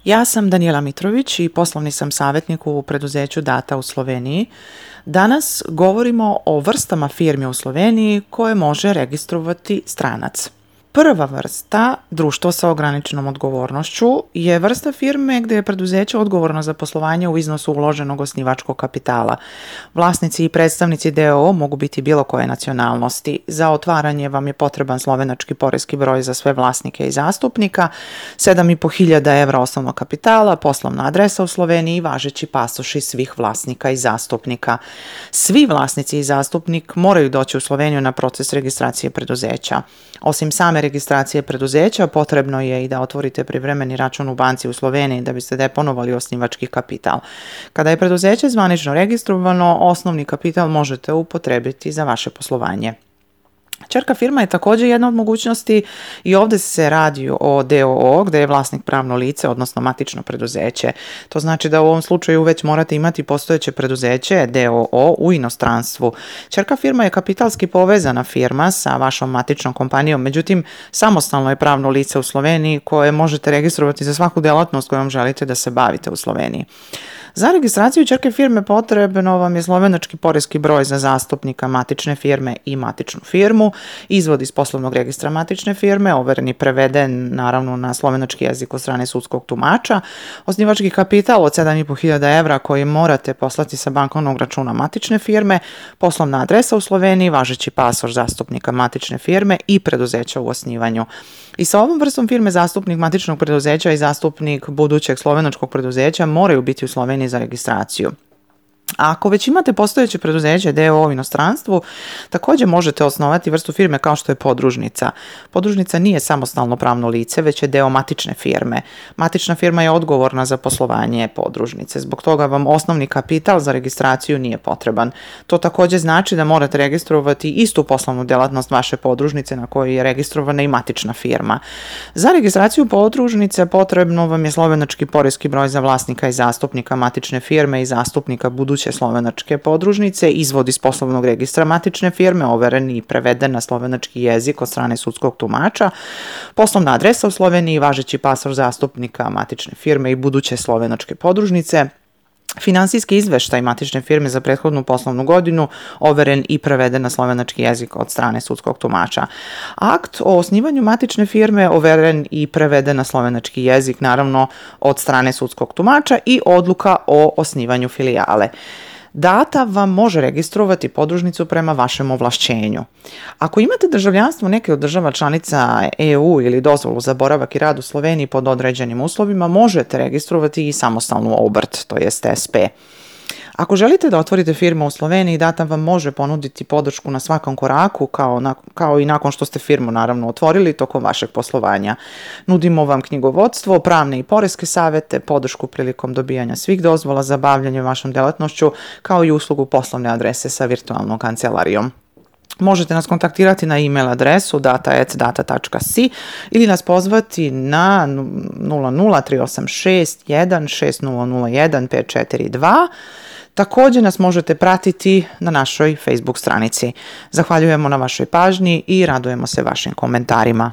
Ja sam Danijela Mitrović i poslovni sam savjetnik u preduzeću Data u Sloveniji. Danas govorimo o vrstama firmi u Sloveniji koje može registrovati stranac. Prva vrsta, društvo sa ograničenom odgovornošću, je vrsta firme gdje je preduzeće odgovorno za poslovanje u iznosu uloženog osnivačkog kapitala. Vlasnici i predstavnici d.o.o. mogu biti bilo koje nacionalnosti. Za otvaranje vam je potreban slovenački poreski broj za sve vlasnike i zastupnika, 7.500 evra osnovnog kapitala, poslovna adresa u Sloveniji i važeći pasoši svih vlasnika i zastupnika. Svi vlasnici i zastupnik moraju doći u Sloveniju na proces registracije preduzeća. Osim same registracije preduzeća, potrebno je i da otvorite privremeni račun u banci u Sloveniji da biste deponovali osnivački kapital. Kada je preduzeće zvanično registrovano, osnovni kapital možete upotrebiti za vaše poslovanje. Ćerka firma je također jedna od mogućnosti i ovdje se radi o d.o.o. gdje je vlasnik pravno lice, odnosno matično preduzeće. To znači da u ovom slučaju već morate imati postojeće preduzeće d.o.o. u inostranstvu. Ćerka firma je kapitalski povezana firma sa vašom matičnom kompanijom, međutim samostalno je pravno lice u Sloveniji koje možete registrovati za svaku djelatnost kojom želite da se bavite u Sloveniji. Za registraciju ćerke firme potrebno vam je slovenački poreski broj za zastupnika matične firme i matičnu firmu, izvod iz poslovnog registra matične firme, overen i preveden naravno na slovenački jezik od strane sudskog tumača, osnivački kapital od 7.500 evra koji morate poslati sa bankovnog računa matične firme, poslovna adresa u Sloveniji, važeći pasoš zastupnika matične firme i preduzeća u osnivanju. I sa ovom vrstom firme zastupnik matičnog preduzeća i zastupnik budućeg slovenačkog preduzeća moraju biti u Sloveniji za registraciju. A ako već imate postojeće preduzeće d.o.o. u inostranstvu, također možete osnovati vrstu firme kao što je podružnica. Podružnica nije samostalno pravno lice, već je deo matične firme. Matična firma je odgovorna za poslovanje podružnice. Zbog toga vam osnovni kapital za registraciju nije potreban. To također znači da morate registrovati istu poslovnu djelatnost vaše podružnice na kojoj je registrovana i matična firma. Za registraciju podružnice potrebno vam je slovenački poreski broj za vlasnika i zastupnika matične firme i zastupnika buduće slovenačke podružnice, izvod iz poslovnog registra matične firme, overen i preveden na slovenački jezik od strane sudskog tumača, poslovna adresa u Sloveniji, važeći pasoš zastupnika matične firme i buduće slovenačke podružnice, finansijski izveštaj matične firme za prethodnu poslovnu godinu, overen i preveden na slovenački jezik od strane sudskog tumača. Akt o osnivanju matične firme, overen i preveden na slovenački jezik, naravno od strane sudskog tumača, i odluka o osnivanju filijale. Data vam može registrovati podružnicu prema vašem ovlašćenju. Ako imate državljanstvo neke od država članica EU ili dozvolu za boravak i rad u Sloveniji pod određenim uslovima, možete registrovati i samostalnu obrt, to jest SP. Ako želite da otvorite firmu u Sloveniji, Data vam može ponuditi podršku na svakom koraku, kao i nakon što ste firmu naravno otvorili tokom vašeg poslovanja. Nudimo vam knjigovodstvo, pravne i poreske savjete, podršku prilikom dobijanja svih dozvola za bavljanje vašom djelatnošću, kao i uslugu poslovne adrese sa virtualnom kancelarijom. Možete nas kontaktirati na e-mail adresu data@data.si ili nas pozvati na 00386 16001 542. Također nas možete pratiti na našoj Facebook stranici. Zahvaljujemo na vašoj pažnji i radujemo se vašim komentarima.